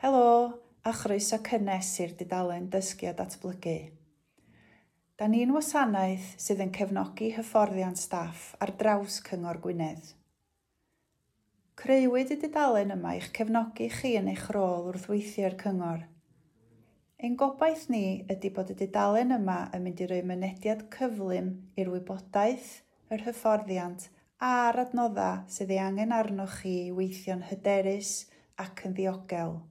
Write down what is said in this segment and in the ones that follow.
Helo, a chroeso cynnes i'r dudalen Dysgu a Datblygu. Da ni'n wasanaeth sydd yn cefnogi hyfforddiant staff ar draws Cyngor Gwynedd. Creuwyd y dudalen yma i'ch cefnogi chi yn eich rôl wrth weithio i'r Cyngor. Ein gobaith ni ydy bod y dudalen yma yn mynd i roi mynediad cyflym i'r wybodaeth, yr hyfforddiant a'r adnoddau sydd ei angen arnoch chi i weithio'n hyderus ac yn ddiogel.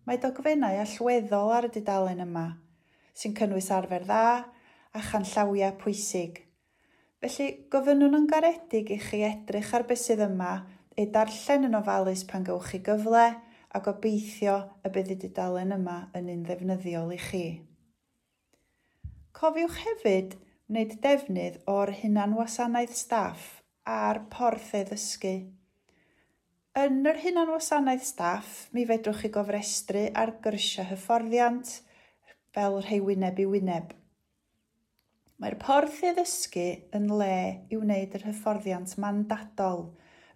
Mae dogfennau allweddol ar y dudalen yma, sy'n cynnwys arfer dda a chanllawiau pwysig. Felly, gofynnwn yn garedig i chi edrych ar beth sydd yma, ei darllen yn ofalus pan gewch chi gyfle, a gobeithio y bydd y dudalen yma yn un ddefnyddiol i chi. Cofiwch hefyd wneud defnydd o'r hunanwasanaeth staff a'r porth e-ddysgu. Yn yr hunanwasanaeth staff, mi fedrwch chi gofrestru ar gyrsiau hyfforddiant fel rhai wyneb i wyneb. Mae'r porth e-ddysgu yn le i wneud yr hyfforddiant mandadol,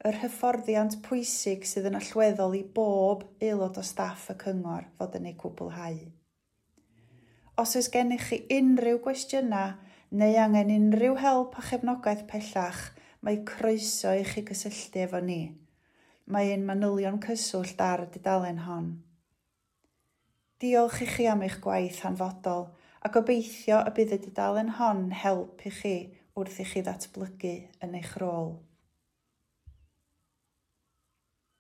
yr hyfforddiant pwysig sydd yn allweddol i bob aelod o staff y cyngor fod yn ei cwblhau. Os oes gennych chi unrhyw gwestiynau neu angen unrhyw help a chefnogaeth pellach, mae croeso i chi gysylltu efo ni. Mae ein manylion cyswllt ar y dudalen hon. Diolch i chi am eich gwaith hanfodol a gobeithio y bydd y dudalen hon help i chi wrth i chi ddatblygu yn eich rôl.